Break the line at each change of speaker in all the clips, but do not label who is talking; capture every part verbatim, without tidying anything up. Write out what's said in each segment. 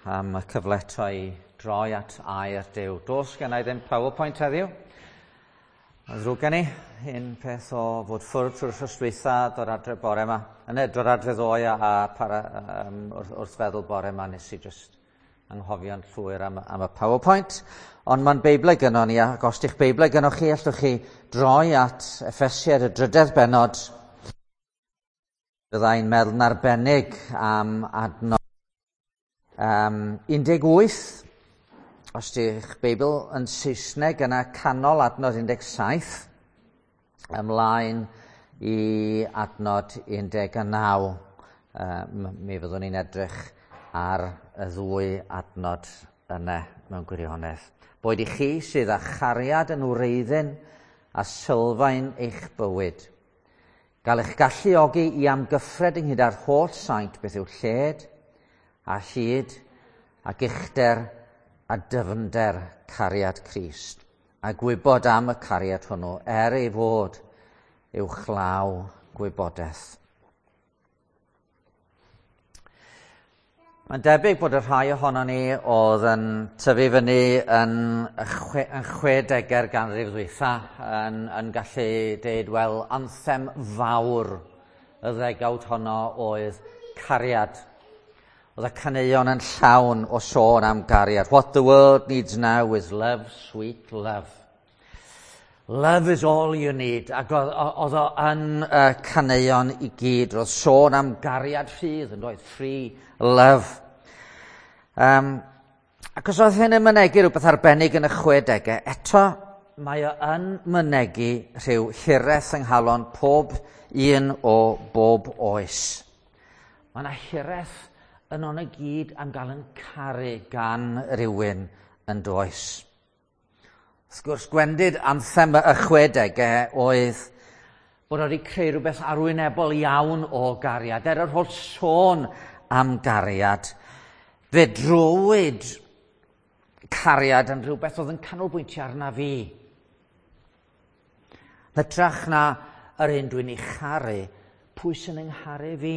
am y cyfle eto i droi at air Duw. Does gen i ddim PowerPoint heddiw. Mae'n ddrwg gen i, un peth o fod ffwrdd trwy'r wythnos dwytha, dod adre bore yma. Yna, dod adre ddoe a, a para, um, wrth, wrth feddwl bore yma nes i just anghofio'n llwyr am, am y PowerPoint. Ond mae'n Beiblau gynnon ni, ac os di'ch Beiblau gynnoch chi, allwch chi droi at Effesiaid y drydedd bennod. Byddai'n meddwl yn arbennig am adnod um, un deg wyth, os di'ch Beibl yn Saesneg yna canol adnod un deg saith, ymlaen i adnod un deg naw. Um, mi fyddwn ni'n edrych ar y ddwy adnod yna mewn gwirionedd. Boed i chi sydd â chariad yn wreiddyn a sylfaen eich bywyd. Gael eich galluogi i amgyffred ynghyd â'r holl saint beth yw lled a hyd ac uchder a dyfnder cariad Crist, a gwybod am y cariad hwnnw er ei fod uwchlaw gwybodaeth. Mae'n debyg bod y rhai ohonon ni oedd yn tyfu fyny yn chwe, yn chwedegau'r ganrif ddwytha yn, yn gallu deud, wel, anthem fawr y ddegawd honno oedd cariad. Oedd y caneuon yn llawn o sôn am gariad. What the world needs now is love, sweet love. Love is all you need. Ac oedd o yn y caneuon i gyd. Roedd sôn am gariad rhydd yn doedd, free love. Um, ac os oedd hyn yn mynegi rhywbeth arbennig yn y chwedegau, eto mae o yn mynegi rhyw hiraeth yng nghalon pob un o bob oes. Mae yna hiraeth yn o'n y gyd am gael yn caru gan rywun yn does. Wrth gwrs, gwendid anthem y chwedegau oedd bod wedi creu rhywbeth arwynebol iawn o gariad. Er yr holl sôn am gariad, fe drowyd cariad yn rhywbeth oedd yn canolbwyntio arna fi. Hytrach na yr un dwi'n ei charu, pwy sy'n yng ngharu fi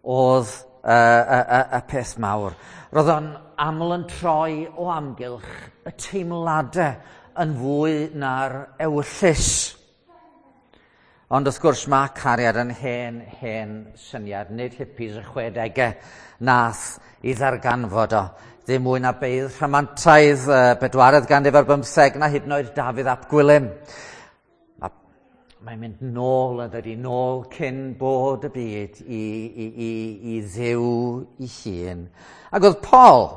oedd y, y, y, y peth mawr. Roedd o'n aml yn troi o amgylch y teimladau yn fwy na'r ewyllys. Ond wrth gwrs mae cariad yn hen, hen syniad, nid hippies y chwedegau nath i ddarganfod o. Ddim mwy na beirdd rhamantaidd, bedwaredd ganrif ar bymtheg, na hyd yn oed Dafydd ap Gwilym. Mae'n mynd nôl yn dydi, nôl cyn bod y byd i, i, i, i Dduw ei hun. Ac oedd Paul,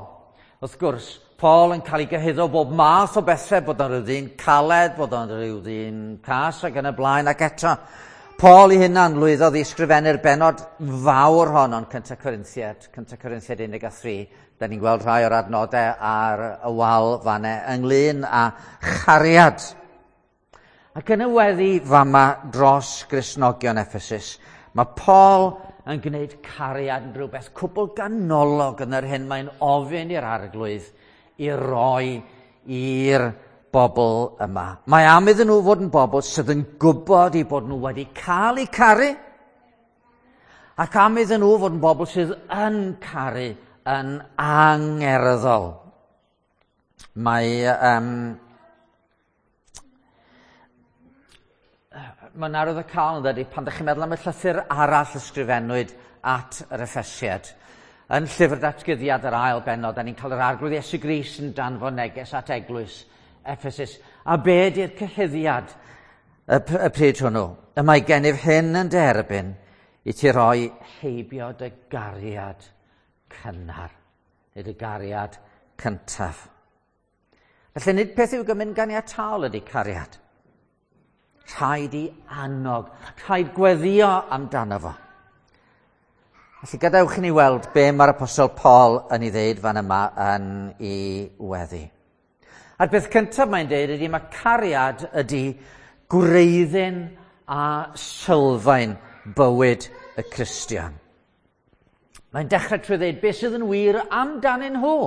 wrth gwrs, Paul yn cael ei gyhuddo bob math o bethau, bod o'n rhyw ddyn caled, bod o'n rhyw ddyn cas ac yn y blaen, ac eto Paul ei hunan lwyddodd i ysgrifennu'r bennod fawr hon o'n Cyntaf Corinthiaid, Cyntaf Corinthiaid un deg tri. Da ni'n gweld rhai o'r adnodau ar y wal fanne ynglyn â chariad. Ac yn y weddi fama dros Gristnogion Ephesus, mae Paul yn gwneud cariad yn rhywbeth cwbl ganolog yn yr hyn mae'n ofyn i'r Arglwydd i roi i'r bobl yma. Mae am iddyn nhw fod yn bobl sydd yn gwybod eu bod nhw wedi cael eu caru, ac am iddyn nhw fod yn bobl sydd yn caru yn angerddol. Mae um, mae'n arwydd y cael yn dydi, pan ydych chi'n meddwl am y llythyr arall ysgrifennwyd at yr Effesiaid. Yn llyfr datguddiad yr ail bennod, da ni'n cael yr Arglwydd Iesu Grist yn danfon neges at eglwys Ephesus. A be di'r cyhuddiad y, y pryd hwnnw? Y mae gennyf hyn yn derbyn i ti roi heibio dy gariad cynnar, neu dy gariad cyntaf. Felly nid peth i'w gymryd ganiataol ydy cariad. Rhaid i annog, rhaid gweddio amdano fo. Felly gadewch i ni weld be mae'r Apostol Paul yn ei ddeud fan yma yn ei weddi. A'r peth cyntaf mae'n deud ydy mae cariad ydy gwreiddyn a sylfaen bywyd y Cristion. Mae'n dechrau trwy ddeud beth sydd yn wir amdanyn nhw.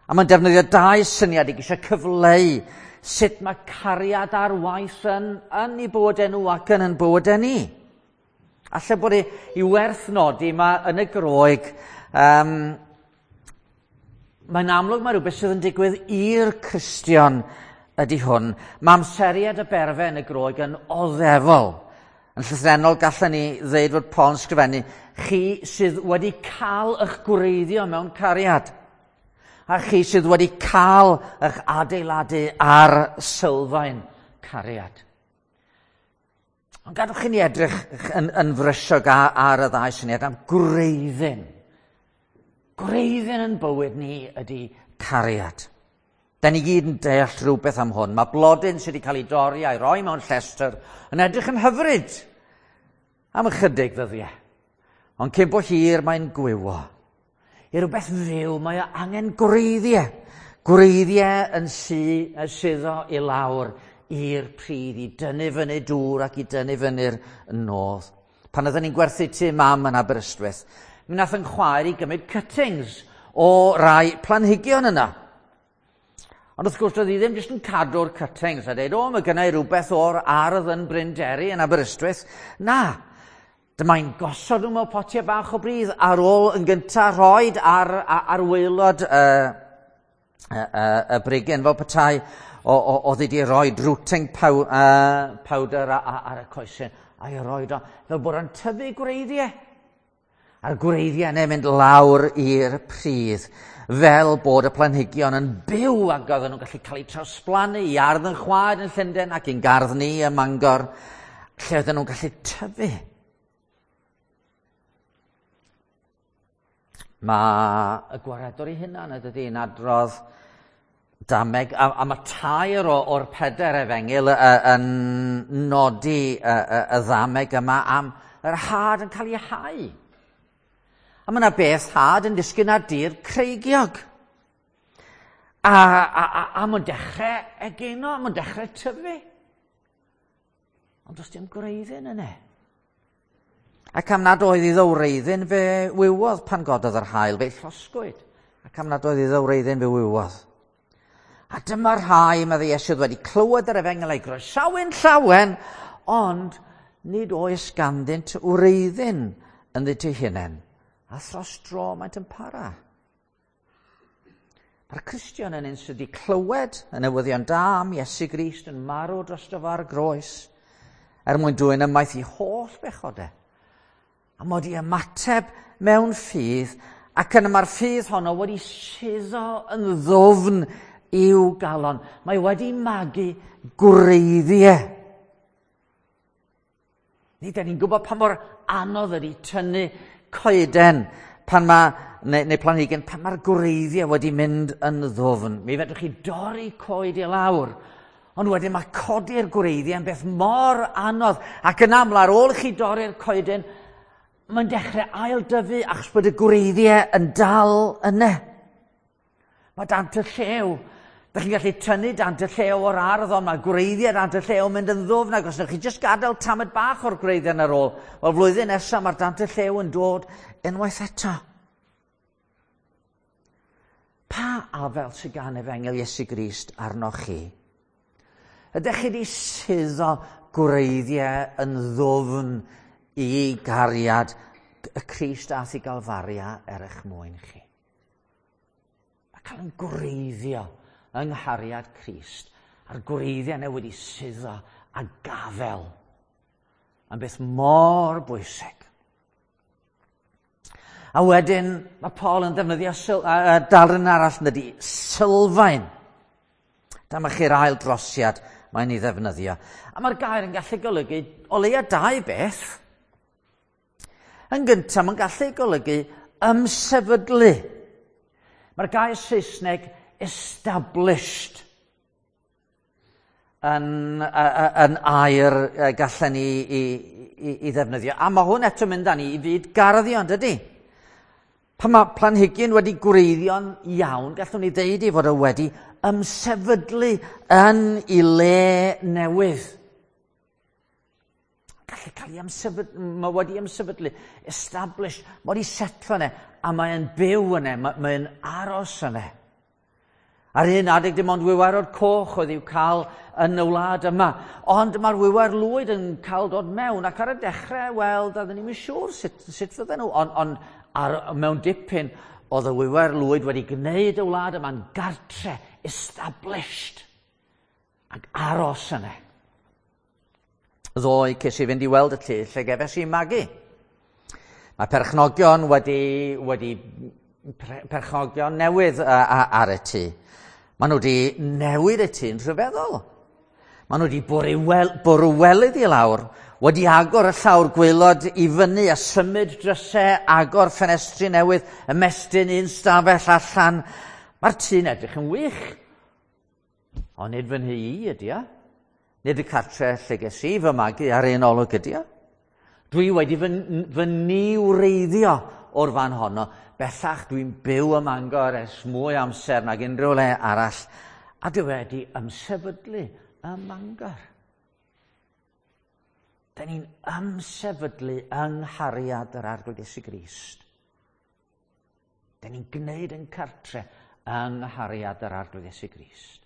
A mae'n defnyddio dau syniad i geisio cyfleu sut mae cariad ar waith yn, yn ei bywydau nhw ac yn yn bywydau ni. Alla bod i, i werth nodi, mae yn y Groeg um, mae'n amlwg mae rhywbeth sydd yn digwydd i'r Cristion ydy hwn. Mae amseriad y berfe yn y Groeg yn oddefol. Yn llythrennol gallwn ni ddeud fod Paul yn sgrifennu, chi sydd wedi cael eich gwreiddio mewn cariad, a chi sydd wedi cael eich adeiladu ar sylfaen cariad. Ond gadwch i ni edrych yn, yn frysiog ar, ar y ddau syniad am gwreiddyn. Gwreiddyn yn bywyd ni ydy cariad. Da ni gyd yn deall rhywbeth am hwn. Mae blodyn sydd wedi cael ei dorri a'i roi mewn llestr yn edrych yn hyfryd am ychydig ddyddiau. Ond cyn bo hir mae'n gwywo. I rhywbeth fyw mae o angen gwreiddiau. Gwreiddiau yn sy, yn suddo i lawr i'r pridd, i dynnu fyny dŵr ac i dynnu fyny'r nodd. Pan oedden ni'n gwerthu tŷ mam yn Aberystwyth, mi nath yn chwaer i gymryd cuttings o rai planhigion yna. Ond wrth gwrs, doedd hi ddim jyst yn cadw'r cuttings a dweud, o, mae gynna i rhywbeth o'r ardd yn Bryn Deri yn Aberystwyth. Na, dyma'n gosod nhw mewn potiau bach o bridd ar ôl yn gyntaf rhoed ar, ar, ar waelod y, y, y, y brigyn fel petai oedd wedi rhoi rooting pow, uh, powder ar, ar y coesyn a'i roed o fel bod o'n tyfu gwreiddiau. A'r gwreiddiau yna mynd lawr i'r pridd fel bod y planhigion yn byw ac oedden nhw'n gallu cael eu trawsblannu i ardd yn chwaer yn Llundain ac i'n gardd ni ym Mangor, lle oedden nhw'n gallu tyfu. Mae y gwaredwr ei hunan ydy yn adrodd dameg, a, a mae tair o, o'r peder efengyl yn nodi y, y, y ddameg yma am yr had yn cael ei hau. A mae yna beth had yn disgyn ar dir creigiog. A, a, a, a mae'n dechrau egino, mae'n dechrau tyfu. Ond does dim gwreiddyn yna. Ac am nad oedd iddo wreiddyn fe wywodd pan gododd yr haul, fe'i llosgwyd. Ac am nad oedd iddo wreiddyn fe wywodd. A dyma rhai, meddai Iesu, wedi clywed yr efengyl a'i groesawu'n llawen, ond nid oes ganddynt wreiddyn ynddynt eu hunain. A thros dro maent yn para. Mae'r Cristion yn un sydd wedi clywed y newyddion da am Iesu Grist yn marw drosto fo ar groes, er mwyn dwyn ymaith i holl bechodau. A mod i ymateb mewn ffydd, ac yna mae'r ffydd honno wedi suddo yn ddwfn i'w galon. Mae wedi magu gwreiddiau. Ni, da ni'n gwybod pa mor anodd ydy tynnu coeden pan mae, neu, neu planhigyn, pan mae'r gwreiddiau wedi mynd yn ddwfn. Mi fedrwch chi dorri coed i lawr, ond wedyn mae codi'r gwreiddiau yn beth mor anodd. Ac yn aml ar ôl i chi dorri'r coeden, mae'n dechrau ail-dyfu achos bod y gwreiddiau yn dal yna. Mae dant y llew. Dych chi'n gallu tynnu dant y llew o'r ardd, ond mae gwreiddiau dant y llew yn mynd yn ddwfn, ac os ydych chi jyst gadael tamed bach o'r gwreiddiau ar ôl, wel flwyddyn nesaf mae'r dant y llew yn dod unwaith eto. Pa afel sydd gan efengyl Iesu Grist arnoch chi? Ydych chi wedi suddo gwreiddiau yn ddwfn i gariad y Crist ath i Galfaria er eich mwyn chi? Mae cael yn gwreiddio yng nghariad Crist, a'r gwreiddiau yna wedi suddo a gafel yn beth mor bwysig. A wedyn mae Paul yn defnyddio syl, uh, darn arall yn dydi, sylfaen. Dyma chi'r ail drosiad mae'n ei ddefnyddio. A mae'r gair yn gallu golygu o leia dau beth. Yn gyntaf, mae'n gallu golygu ymsefydlu. Mae'r gair Saesneg established yn, yn air gallen ni i, i, i ddefnyddio. A mae hwn eto mynd â ni i fyd garddio, yn dydi? Pan mae planhigyn wedi gwreiddio'n iawn, gallwn ni ddeud ei fod o wedi ymsefydlu yn ei le newydd. Gallu cael ei ymsefydlu, mae wedi ymsefydlu, established, mae wedi setlo yna, a mae'n byw yna, mae'n aros yna. Ar un adeg dim ond wiwerod coch oedd i'w cael yn y wlad yma, ond mae'r wiwer lwyd yn cael dod mewn, ac ar y dechrau, wel, doedden ni'm yn siŵr sut, sut fydden nhw, ond on, ar, mewn dipyn, Oedd y wiwer lwyd wedi gwneud y wlad yma'n gartre, established, ac aros yna. Ddoe ces i fynd i weld y tŷ lle gefes i magu. Mae perchnogion wedi, wedi perchnogion newydd ar y tŷ. Maen nhw wedi newid y tŷ'n rhyfeddol. Maen nhw wedi bwrw welydd i lawr, wedi agor y llawr gwaelod i fyny a symud drysau, agor ffenestri newydd, ymestyn un stafell allan. Mae'r tŷ'n edrych yn wych. Ond nid fy nhŷ i ydy o. Nid y cartre lle ges i fy magu ar un olwg ydy o. Dwi wedi fy, fy niwreiddio o'r fan honno. Bellach dwi'n byw ym Mangor ers mwy amser nag unrhyw le arall. A dwi wedi ymsefydlu ym Mangor. Da ni'n ymsefydlu yng nghariad yr Arglwydd Iesu Grist. Da ni'n gwneud yn cartre yng nghariad yr Arglwydd Iesu Grist.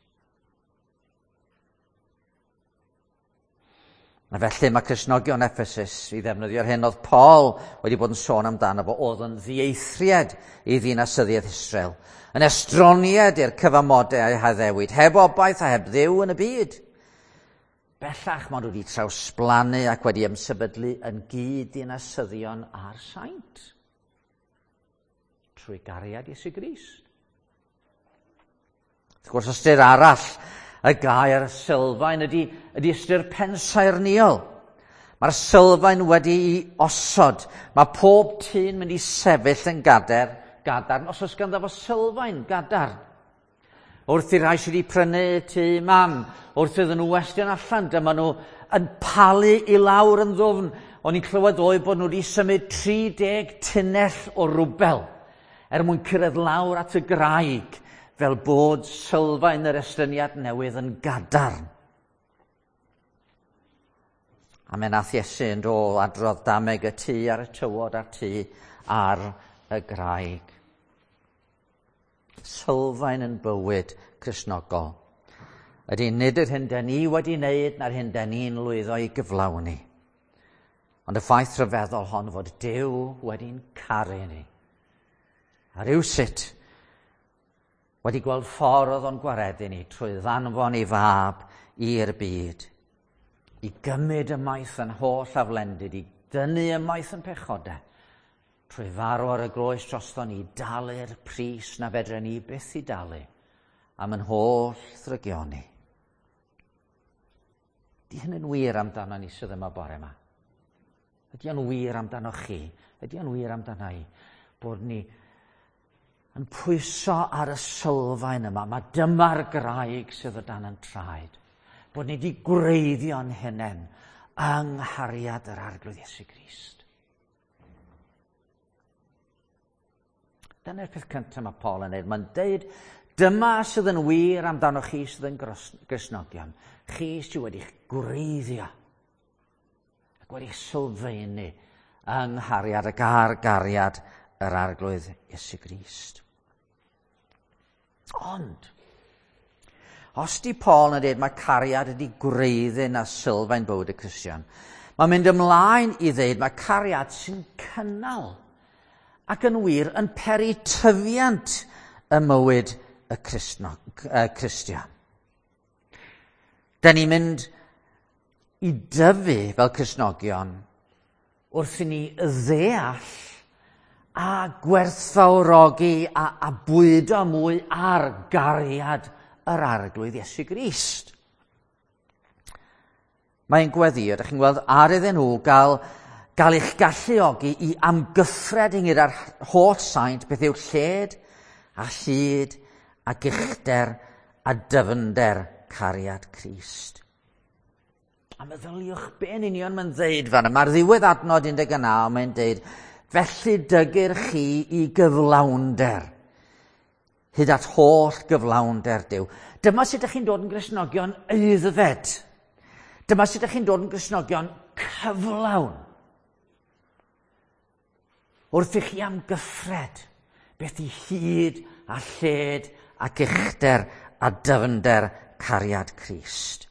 A felly mae Cristnogion Ephesus i ddefnyddio'r hyn oedd Paul wedi bod yn sôn amdano fo, oedd yn ddieithriad i ddinasyddiaeth Israel, yn estroniad i'r cyfamodau a'i haddewid, heb obaith a heb Dduw yn y byd. Bellach maen nhw wedi trawsblannu ac wedi ymsefydlu yn gyd-ddinasyddion a'r saint trwy gariad Iesu Grist. Wrth gwrs, ystyr arall y gair sylfaen ydy, ydy ystyr pensaernïol. Mae'r sylfaen wedi'i osod. Mae pob tŷ'n mynd i sefyll yn gader, gadarn os oes ganddo fo sylfaen gadarn. Wrth i'r rhai sydd wedi prynu tŷ mam, wrth iddyn nhw westyn allan, dyma nhw yn palu i lawr yn ddwfn. O'n i'n clywed ddoe bod nhw wedi symud tri deg tunnell o rwbel er mwyn cyrraedd lawr at y graig, fel bod sylfaen yr estyniad newydd yn gadarn. A me nath Iesu yn dôl adrodd dameg y tŷ ar y tywod a'r tŷ ar y graig. Sylfaen yn bywyd Cristnogol ydy nid yr hyn 'dan ni wedi wneud na'r hyn 'dan ni'n lwyddo i gyflawni, ond y ffaith rhyfeddol hon fod Duw wedi'n caru ni. A rywsut wedi gweld ffordd oedd o'n gwaredu ni trwy ddanfon ei fab i'r byd, i gymryd ymaith yn holl aflendid, i dynnu ymaith yn pechodau, trwy farw ar y groes drosto ni, dalu'r pris na fedren ni byth i dalu am yn holl ddrygioni. Di hyn yn wir amdano ni sydd yma bore yma? Ydy o'n wir amdano chi? Ydy o'n wir amdano i? Bod ni yn pwyso ar y sylfaen yma. Mae dyma'r graig sydd o dan yn traed. Bod ni wedi gwreiddio'n hunain yng nghariad yr Arglwydd Iesu Grist. Dyna'r peth cyntaf mae Paul yn dweud. Mae'n deud, dyma sydd yn wir amdano chi sydd yn Gristnogion. Chi sydd wedi'ch gwreiddio ac wedi'ch sylfaenu yng nghariad ac ar gariad yr Arglwydd Iesu Grist. Ond, os di Paul yn dweud mae cariad ydi gwreiddyn a sylfaen bywyd y Cristion, mae'n mynd ymlaen i ddeud mae cariad sy'n cynnal ac yn wir yn peri tyfiant y mywyd y Cristnog, y Cristion. Da ni'n mynd i dyfu fel Cristnogion wrth i ni ddeall a gwerthfawrogi a, a bwydo mwy ar gariad yr Arglwydd Iesu Grist. Mae'n gweddio, ydych chi'n gweld, ar iddyn nhw gael, gael eich galluogi i amgyffred ynghyd â'r holl saint beth yw lled a hyd ac uchder a dyfnder cariad Crist. A meddyliwch be yn union mae'n ddeud fan yma. Mae'r ddiwedd adnod un deg naw mae'n deud, felly dygir chi i gyflawnder, hyd at holl gyflawnder Duw. Dyma sut ydych chi'n dod yn Gristnogion aeddfed. Dyma sut ydych chi'n dod yn Gristnogion cyflawn. Wrth i chi amgyffred beth i hyd a lled ac uchder a dyfnder cariad Crist.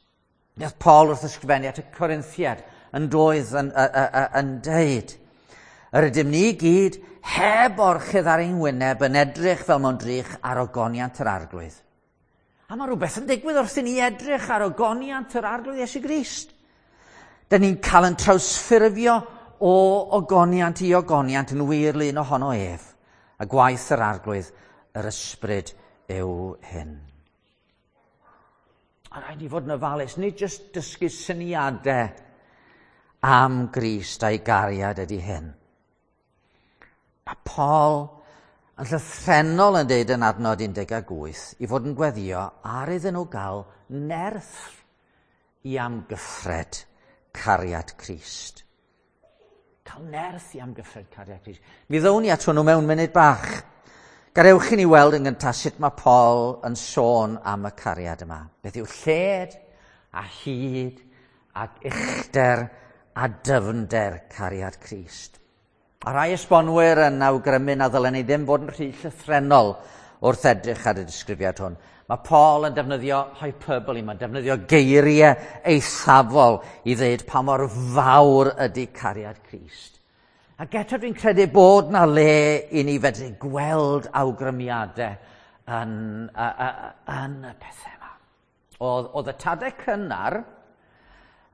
Nath Paul wrth ysgrifennu at y Corinthiad yn doedd yn, yn, yn, yn deud, yr ydym ni gyd heb orchudd ar ein wyneb yn edrych fel mewn drych ar ogoniant yr Arglwydd. A mae rhywbeth yn digwydd wrth i ni edrych ar ogoniant yr Arglwydd Iesu Grist. Dyn ni'n cael yn trawsffurfio o ogoniant i ogoniant yn wir lun ohono ef. A gwaith yr Arglwydd, yr Ysbryd yw hyn. A rhaid i fod yn ofalus, nid jyst dysgu syniadau am Grist a'i gariad ydy hyn. Mae Paul yn llythrennol yn deud yn adnod un deg wyth i fod yn gweddio ar iddyn nhw gael nerth i amgyffred cariad Crist. Cael nerth i amgyffred cariad Crist. Mi ddown ni at hwnnw mewn munud bach. Gadewch i ni weld yn gyntaf sut mae Paul yn sôn am y cariad yma. Beth yw lled a hyd ac uchder a dyfnder cariad Crist. A rai esbonwyr yn awgrymu na ddylen ni ddim fod yn rhy llythrennol wrth edrych ar y disgrifiad hwn. Mae Paul yn defnyddio hyperbole, mae'n defnyddio geiriau eithafol i ddweud pa mor fawr ydy cariad Crist. Ac eto dwi'n credu bod na le i ni fedru gweld awgrymiadau yn, yn y pethau yma. Oedd, oedd y tadau cynnar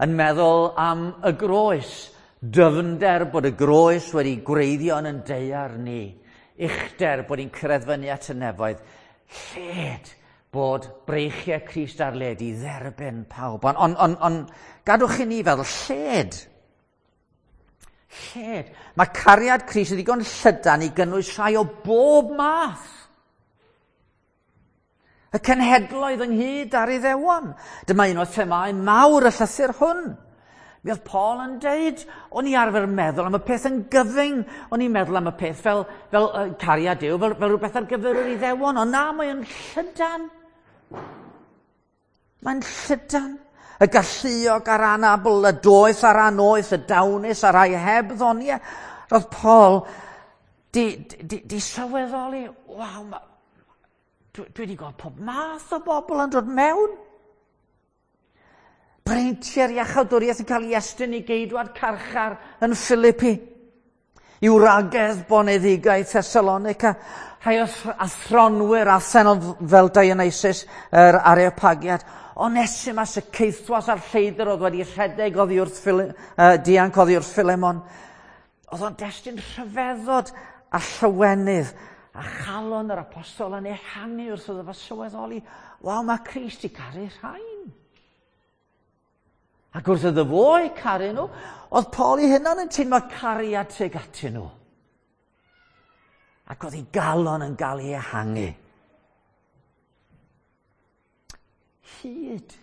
yn meddwl am y groes, dyfnder bod y groes wedi gwreiddio yn yn daear ni, uchder bod ni'n cyrraedd fyny at y nefoedd, lled bod breichiau Crist ar led i dderbyn pawb. Ond on, on, on, gadwch i ni feddwl lled. Lled. Mae cariad Crist yn ddigon llydan i gynnwys rhai o bob math. Y cenhedloedd ynghyd ar Iddewon. Dyma un o'r themâu mawr y llythyr hwn. Mi oedd Paul yn deud, o'n i arfer meddwl am y peth yn gyfyng, o'n i'n meddwl am y peth fel, fel uh, cariad Duw, fel, fel rhywbeth ar gyfer yr Iddewon, ond na, mae'n llydan. Mae'n llydan. Y galluog a'r anabl, y doeth a'r anoeth, y dawnus a'r rhai heb ddoniau. Roedd Paul di, di, di sylweddoli, waw, ma, dwi, dwi wedi gweld pob math o bobl yn dod mewn. Breintiau'r iachawdwriaeth yn cael ei estyn i geidwad carchar yn Philippi, i wragedd boneddigaeth Thessalonica, rhai athronwyr Athenol fel Dionysus, yr Areopagiad, Onesimus y ceithwas a'r lleidr oedd wedi rhedeg oddi wrth Phil, uh, dianc oddi wrth Philemon. Oedd o'n destun rhyfeddod a llawenydd a chalon yr apostol yn ehangu wrth iddo fo sylweddoli, waw, mae Crist i caru rhain. Ac wrth iddo fo eu caru nhw, oedd Paul ei hunan yn teimlo cariad tuag atyn nhw. Ac oedd ei galon yn gael ei ehangu. Hyd.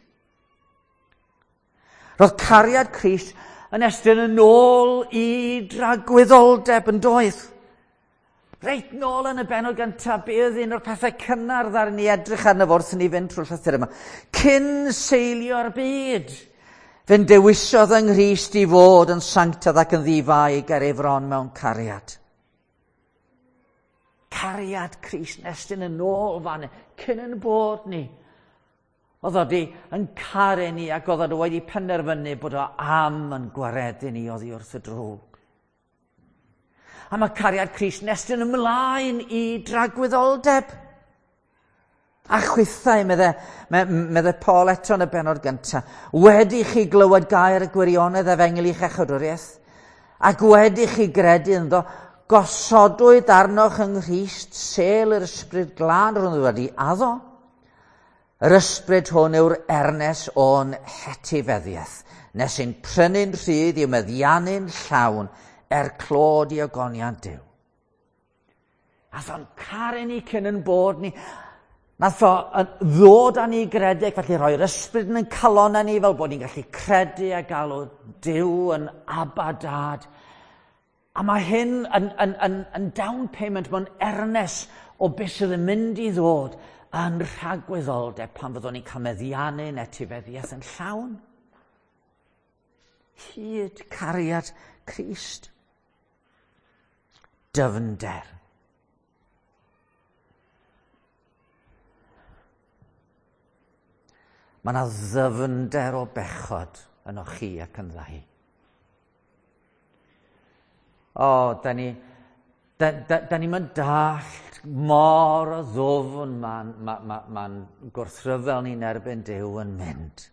Roedd cariad Crist yn estyn yn ôl i dragwyddoldeb yn doedd. Reit nôl yn y bennod gyntaf, be oedd un o'r pethau cynnar ddaru ni edrych arno fo wrth i ni fynd trwy'r llythyr yma. Cyn seilio'r byd, fe'n dewisodd yng Nghrist i fod yn sanctaidd ac yn ddifai ger ei fron mewn cariad. Cariad Crist yn estyn yn ôl fan, cyn yn bod ni. Oedd o di yn caru ni ac oedd o wedi penderfynu bod o am yn gwaredu ni oddi wrth y drwg. A mae cariad Crist yn estyn ymlaen i dragwyddoldeb. A chwithau, medde, medde Paul eto yn y bennod gyntaf, wedi chi glywed gair y gwirionedd efengyl i'ch iachawdwriaeth, ac wedi chi gredu ynddo, gosodwyd arnoch yng Nghrist sêl yr Ysbryd Glân rhwng wedi addo. Yr ysbryd hwn yw'r ernes o'n hetifeddiaeth, nes ein prynu'n rhydd i'w meddiannu'n llawn er clod i ogoniant Duw. Nath o'n caru ni cyn yn bod ni. Nath o ddod â ni i gredeg, felly rhoi'r ysbryd yn ein calonnau ni fel bod ni'n gallu credu a galw Duw yn Abba Dad. A mae hyn yn, yn, yn, yn down payment mewn ernes o beth sydd yn mynd i ddod yn rhagwyddoldeb pan fyddwn ni'n cael meddiannu'n etifeddiaeth yn llawn. Hyd cariad Crist. Dyfnder. Mae yna ddyfnder o bechod yno chi ac yn ddau. O, da ni, Da, da, da ni'n mynd dallt mor o ddwfn mae'n ma, ma, ma gwrthryfel ni'n erbyn Duw yn mynd.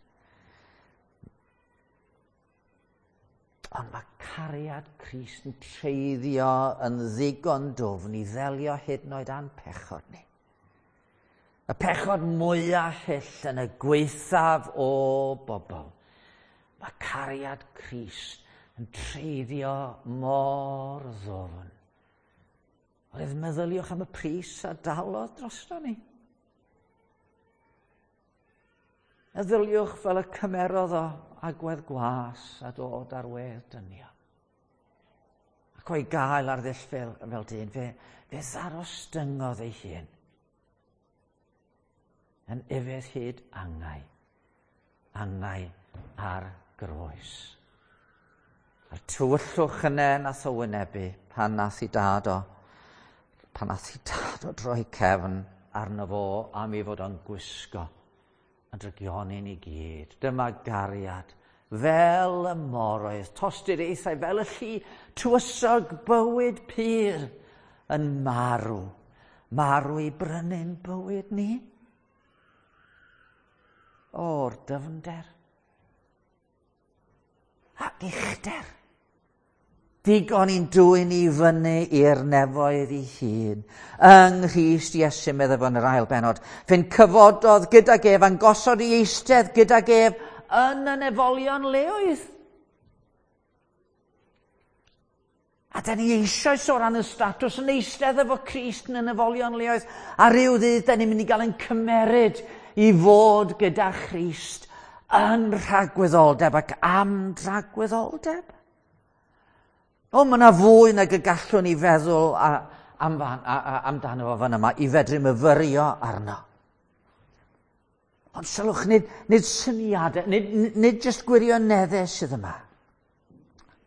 Ond mae cariad Crist yn treiddio yn ddigon dwfn i ddelio hyd yn oed â'n pechod ni. Y pechod mwyaf hyll yn y gwaethaf o bobl. Mae cariad Crist yn treiddio mor ddwfn. Oedd meddyliwch am y pris a dalodd drosto ni. Meddyliwch fel y cymerodd o agwedd gwas a dod ar wedd dynion. Ac o'i gael ar ddull fel, fel dyn, fe, fe ddarostyngodd ei hun yn ufudd hyd angau, angau ar groes. A'r tywyllwch yna nath o wynebu pan nath i dad o, pan nath i dad o droi cefn arno fo am ei fod o'n gwisgo yn drygioni ni gyd. Dyma gariad, fel y moroedd, tosturiaethau, fel y llu, tywysog bywyd pur yn marw. Marw i brynu'n bywyd ni. O'r dyfnder ac uchder. Digon i'n dwyn i fyny i'r nefoedd ei hun. Yng Nghrist Iesu, meddai fo yn yr ail bennod, fe'n cyfododd gydag ef a'n gosod i eistedd gydag ef yn y nefolion leoedd. A da ni eisoes o ran y statws yn eistedd efo Crist yn y nefolion leoedd. A ryw ddydd da ni'n mynd i gael ein cymeryd i fod gyda Christ yn rhagwyddoldeb ac am dragwyddoldeb. O, mae yna fwy nag y gallwn ni feddwl a, am, a, a, amdano fo fan yma i fedru myfyrio arno. Ond sylwch, nid, nid syniadau, nid, nid jyst gwirioneddau sydd yma.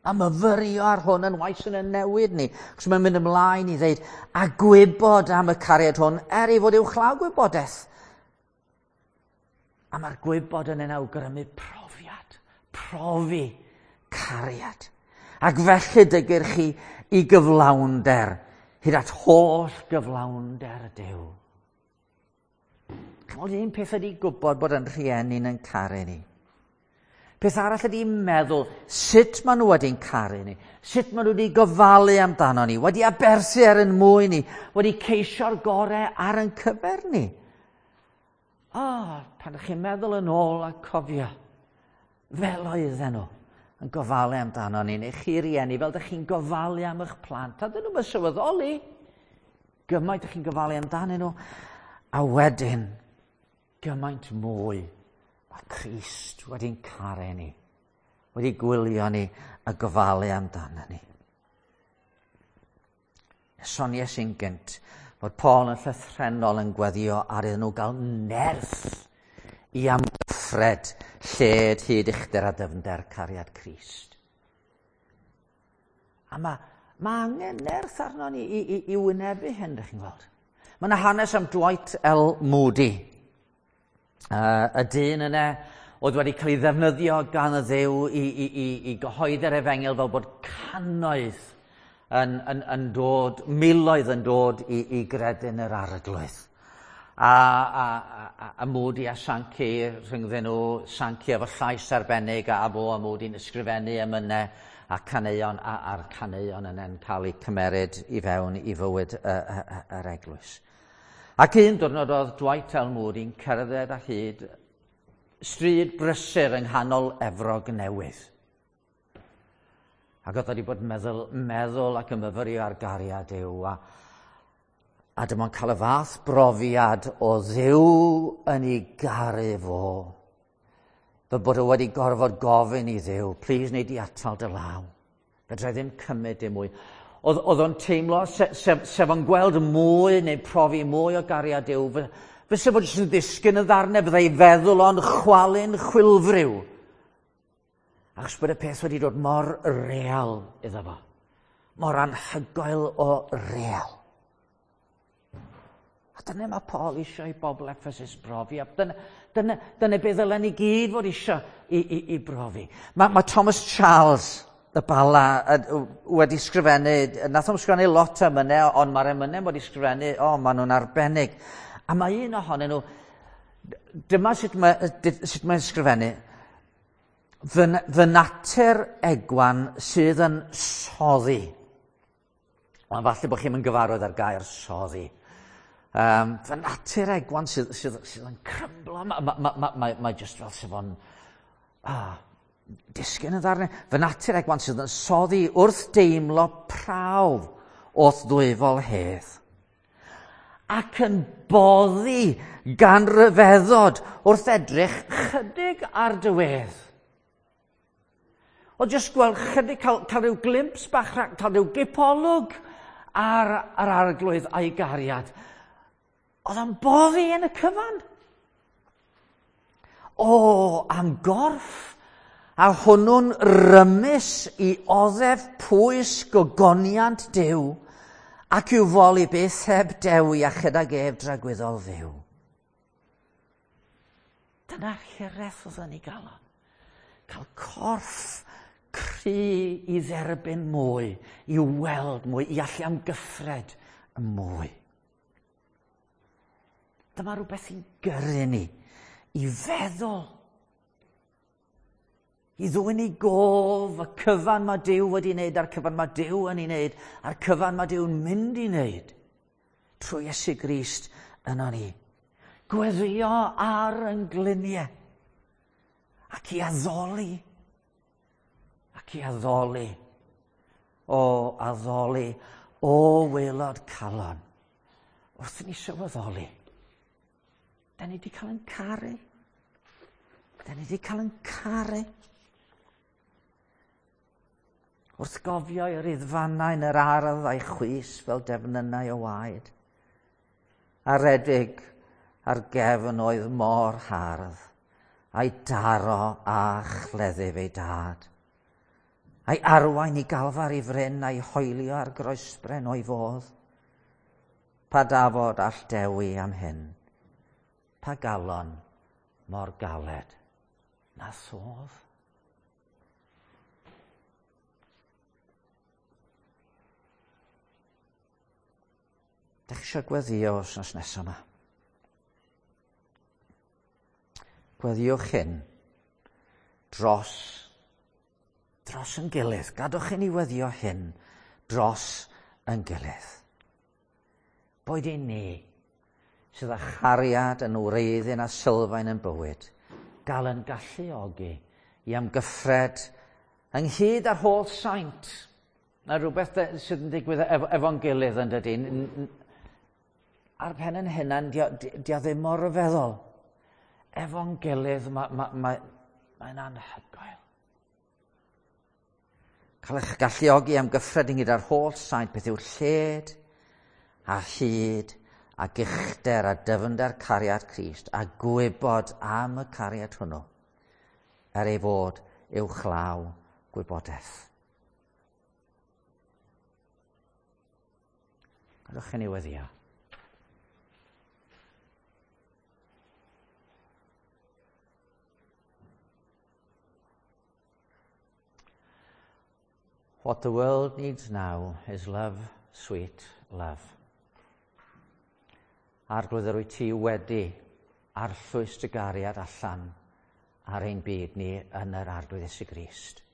A myfyrio ar hwn yn waith yn y newid ni. Cos mae'n mynd ymlaen i ddeud, a gwybod am y cariad hwn, er ei fod uwchlaw gwybodaeth. A mae'r gwybod yn ein awgrymu profiad, profi cariad. Ac felly dygir chi i gyflawnder, hyd at holl gyflawnder Duw. Chimod, un peth ydy gwybod bod yn rhieni'n yn caru ni. Peth arall ydy meddwl sut maen nhw wedi'n caru ni, sut maen nhw wedi gofalu amdano ni, wedi aberthu ar ein mwyn ni, wedi ceisio'r gorau ar ein cyfer ni. O, oh, pan ydych chi'n meddwl yn ôl a cofio, fel oedden nhw yn gofalu amdano ni, neu chi rieni, fel ydych chi'n gofalu am eich plant, a dyn nhw'n sylweddoli gymaint ydych chi'n gofalu amdanyn nhw, a wedyn gymaint mwy mae Crist wedi'n caru ni, wedi gwylio ni a gofalu amdano ni. Soniais i'n gynt fod Paul yn llythrennol yn gweddio ar iddyn nhw gael nerth i amgyffred lled hyd uchder a dyfnder cariad Crist. A mae, mae angen nerth arno ni i, i, i wynebu hyn, ydych chi'n gweld. Mae yna hanes am Dwight L. Moody. Uh, y dyn yna oedd wedi cael ei ddefnyddio gan y Dduw i, i, i, i gyhoeddi'r efengyl fel bod cannoedd yn, yn, yn dod, miloedd yn dod i, i gredu'n yr Arglwydd. A, a, a, a Moody a Sankey rhyngddyn nhw, Sankey efo llais arbennig a, a fo a Moody'n ysgrifennu emynau a caneuon, a, a'r caneuon yna'n cael eu cymeryd i fewn i fywyd y, y, y, yr eglwys. Ac un diwrnod oedd Dwight L. Moody'n cerdded a hyd stryd brysur yng nghanol Efrog Newydd. Ac oedd wedi bod meddwl, meddwl ac yn myfyrio ar gariad Duw. A, a dyma'n cael y fath brofiad o Dduw yn ei garu fo. Fel bod o wedi gorfod gofyn i Dduw, please wnei di atal dy law. Fedra i ddim cymryd dim mwy. Oedd, oedd o'n teimlo, se, sef, sef o'n gweld mwy neu profi mwy o gariad Duw, fysa fod jyst yn ddisgyn y ddarnau, fyddai feddwl o'n chwalu'n chwilfriw. Achos bod y peth wedi dod mor real iddo fo. Mor anhygoel o real. A dyna mae Paul eisiau i bobl Ephesus brofi. A dyna, dyna, dyna beth ddylen ni gyd fod eisiau i, i, i brofi. Mae, mae Thomas Charles, y Bala wedi sgrifennu, nath o'n sgrifennu lot o emynau, ond mae'r emynau wedi sgrifennu, o, maen nhw'n arbennig. A mae un ohonyn nhw, dyma sut mae, sut mae'n sgrifennu, fy, fy natur egwan sydd yn soddi. Ond falle bod chi'n gyfarwydd ar gair soddi. Um, fy natur egwan sydd, sydd, sydd yn crymblo, mae ma, ma, ma, ma, ma just fel sef o'n ah, disgyn yn ddarnau. Fy natur egwan sydd yn soddi wrth deimlo prawf wrth ddwyfol hedd. Ac yn boddi gan ryfeddod wrth edrych chydig ar dy wedd. O jyst gweld chydig, cael, cael rhyw glimps bach, cael rhyw gipolwg ar, ar arglwydd a'i gariad. Oedd o'n boddi yn y cyfan. O, am gorff, a hwnnw'n rymus i oddef pwys gogoniant Duw, ac i'w foli byth heb dewi a chydag ef dragwyddol fyw. Dyna'r hiraeth oedd yn ei galon. Cael corff cry i dderbyn mwy, i weld mwy, i allu amgyffred mwy. Dyma rhywbeth i'n gyrru ni, i feddwl, i ddwyn i gof y cyfan mae Duw wedi wneud, a'r cyfan mae Duw yn ei wneud, a'r cyfan mae Duw'n mynd i wneud, trwy Iesu Grist yno ni. Gweddio ar yn gliniau, ac i addoli, ac i addoli, o addoli, o waelod calon, wrth i ni sylweddoli. Da ni wedi cael yn caru. Da ni wedi cael yn caru. Wrth gofio i'r riddfannau yn yr ardd a'i chwys fel defnynnau o waed. A redig ar gefn oedd mor hardd, a'i daro a chleddyf ei dad. A'i arwain i galfar i fryn a'i hoelio ar groesbren o'i fodd. Pa dafod all dewi am hyn? Pa galon mor galed na sodd? Dach chi eisiau gweddio wythnos nesaf yma? Gweddiwch hyn dros, dros yn gilydd. Gadwch i ni weddio hyn dros yn gilydd. Boed i ni sydd â chariad yn wreiddyn a sylfaen yn bywyd, gael yn galluogi i amgyffred ynghyd â'r holl saint. Mae rhywbeth sydd yn digwydd efo, efo'n gilydd yn dydy. Ar pen yn hunan, dio, dio ddim mor ryfeddol. Efo'n gilydd, mae'n ma, ma, ma anhygoel. Cael eich galluogi amgyffred ynghyd â'r holl saint, beth yw'r lled a hyd ac uchder a dyfnder cariad Crist, a gwybod am y cariad hwnnw, er ei fod uwchlaw gwybodaeth. Gadewch i ni weddïo. What the world needs now is love, sweet love. Arglwydd, yr wyt ti wedi arllwys dy gariad allan ar ein byd ni yn yr Arglwydd Iesu Grist.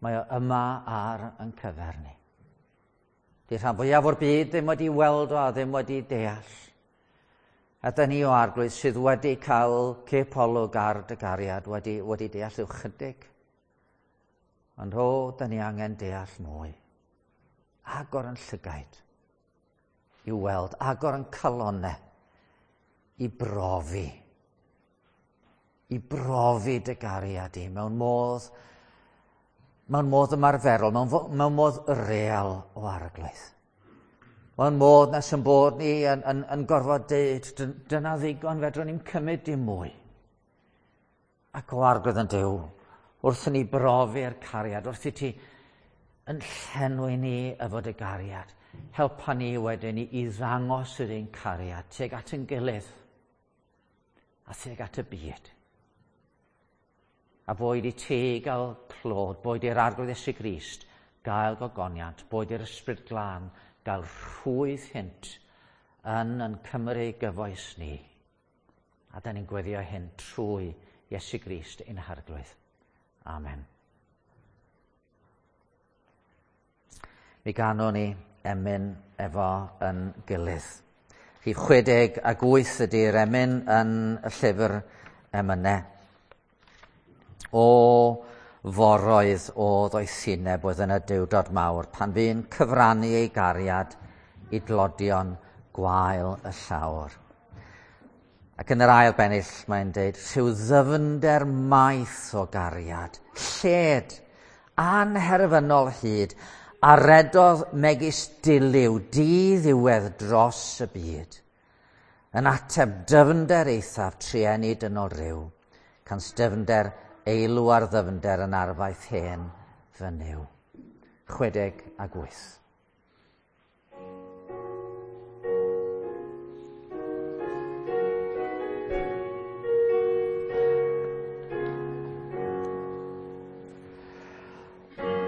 Mae o yma ar yn cyfer ni. Di rhan fwyaf o'r byd ddim wedi weld o a ddim wedi deall. A dyn ni o Arglwydd sydd wedi cael cipolwg ar dy gariad, wedi, wedi deall rhyw chydig. Ond o, dyn ni angen deall mwy. Agor yn llygaid i weld, agor yn calonau i brofi. I brofi dy gariad i mewn modd, mewn modd ymarferol, mewn, mewn modd real o Arglwydd. Mewn modd nes yn bod ni yn, yn, yn gorfod deud, dyna ddigon, fedrwn ni'n cymryd dim mwy. Ac o Arglwydd yn Duw, wrth i ni brofi'r cariad, wrth i ti yn llenwi ni efo dy gariad, helpa ni wedyn i, i ddangos yr ein cariad tuag at yn gilydd a tuag at y byd. A boed i ti gael clod, boed i'r Arglwydd Iesu Grist gael gogoniant, boed i'r Ysbryd Glân gael rhwydd hynt yn yn Cymru gyfoes ni. A da ni'n gweddio hyn trwy Iesu Grist ein Harglwydd. Amen. Mi ganwn ni emyn efo yn gilydd. Rhif chwe deg ag wyth ydy'r emyn yn y llyfr emynau. O foroedd o ddoethineb oedd yn y Duwdod mawr, pan fu'n cyfrannu ei gariad i dlodion gwael y llawr. Ac yn yr ail bennill mae'n deud, rhyw ddyfnder maith o gariad, lled, anherfynol hyd, a redodd megis diliw di-ddiwedd dros y byd, yn ateb dyfnder eithaf trueni dynol ryw, cans dyfnder eilw ar ddyfnder yn arfaeth hen fy Nuw. Chwedeg ag wyth.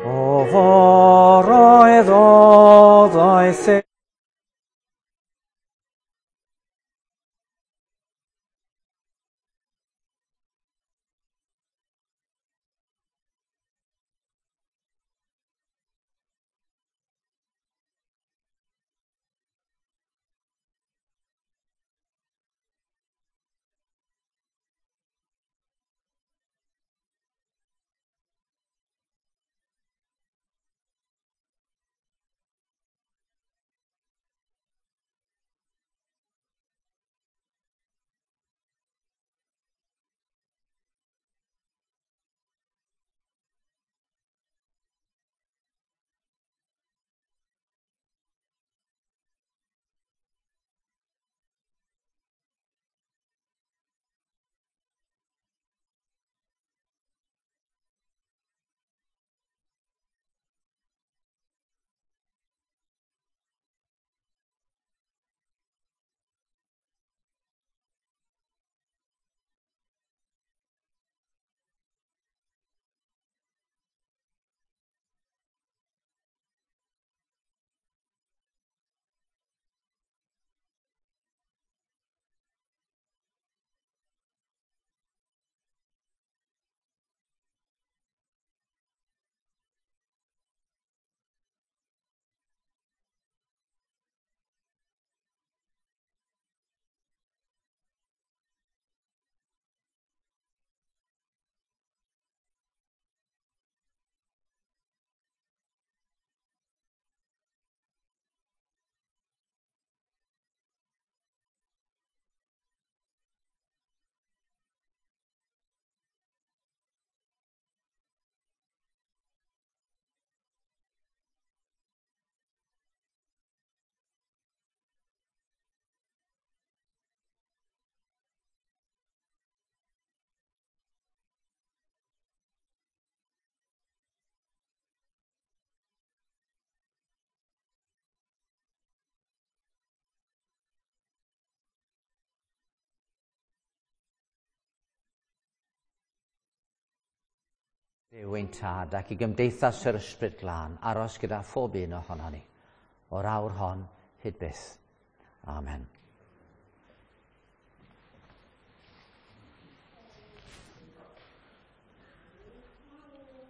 O foroedd o ddoeth Duw ein Tad ac i gymdeithas yr Ysbryd Glân aros gyda phob un ohonon ni, o'r awr hon hyd byth. Amen.